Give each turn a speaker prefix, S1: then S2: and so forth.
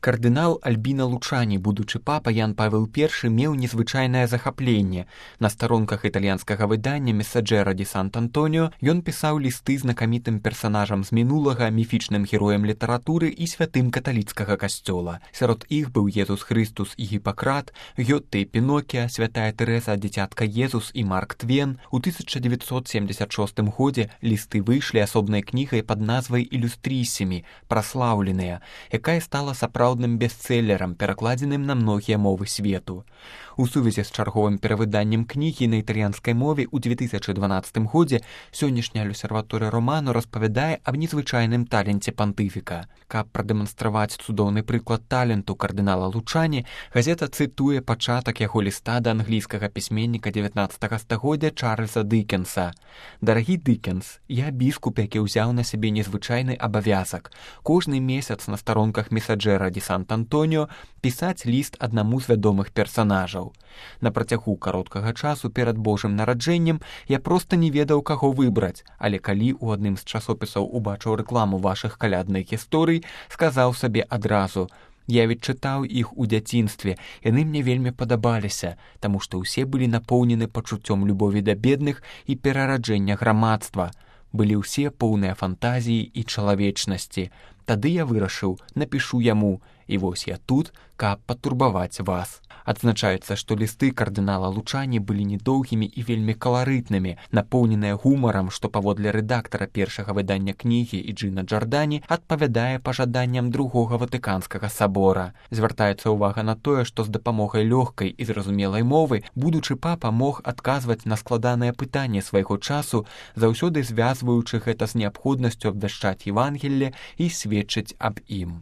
S1: Кардынал Альбіна Лучані, будучы папа Ян Павел I, меў незвычайнае захапленне. На старонках італьянскага выдання «Месаджэра ді Сант-Антоніо» ён пісаў лісты знакамітым персанажам з мінулага, міфічным героем літаратуры і святым каталіцкага касцёла. Сярод іх быў Езус Хрыстус і Гіпакрат, Гёте і Пінокія, святая Тэрэза, дзіцятка Езус і Марк Твен. У 1976 годзе лісты выйшлі асобнай кнігай пад назвай «Ілюстрісімі», праслаўленыя, якая стала сапраўдным бестселлерам, перакладзеным на многія мовы свету. У сувязі з чарговым перавыданнем кнігі на італьянскай мове ў 2012 годзе сённяшняя L'Osservatore Romano распавядае аб незвычайным таленце пантыфіка. Каб прадэманстраваць цудоўны прыклад таленту кардынала Лучані, газета цытуе пачатак яго ліста да англійскага пісьменніка 19 стагоддзя Чарльза Дыкенса. «Дарагі Дыкенс, я біскуп, які ўзяў на сябе незвычайны абавязак. Кожны месяц на старонках «Месаджэра ді Сант-Антоніо» пісаць ліст аднаму з вядомых персанажаў. На працягу кароткага часу перад Божым нараджэннем я проста не ведаў, каго выбраць, але калі ў адным з часопісаў убачыў рэкламу вашых калядных гісторый, сказаў сабе адразу: я ведь чытаў іх у дзяцінстве, яны мне вельмі падабаліся, таму што ўсе былі напоўнены пачуццём любові да бедных і перараджэння грамадства. Былі ўсе поўныя фантазіі і чалавечнасці. Тады я вырашыў, напішу яму, і вось я тут, каб патурбаваць вас». Адзначаецца, што лісты кардынала Лучані былі недоўгімі і вельмі каларытнымі, напоўненыя гумарам, што паводле рэдактара першага выдання кнігі Іджына Джардані адпавядае пажаданням другога Ватыканскага сабора. Звяртаецца ўвага на тое, што з дапамогай лёгкай і зразумелай мовы будучы папа мог адказваць на складаныя пытанні свайго часу, заўсёды звязваючы гэта з неабходнасцю абвяшчаць Евангелле і сведчыць аб ім.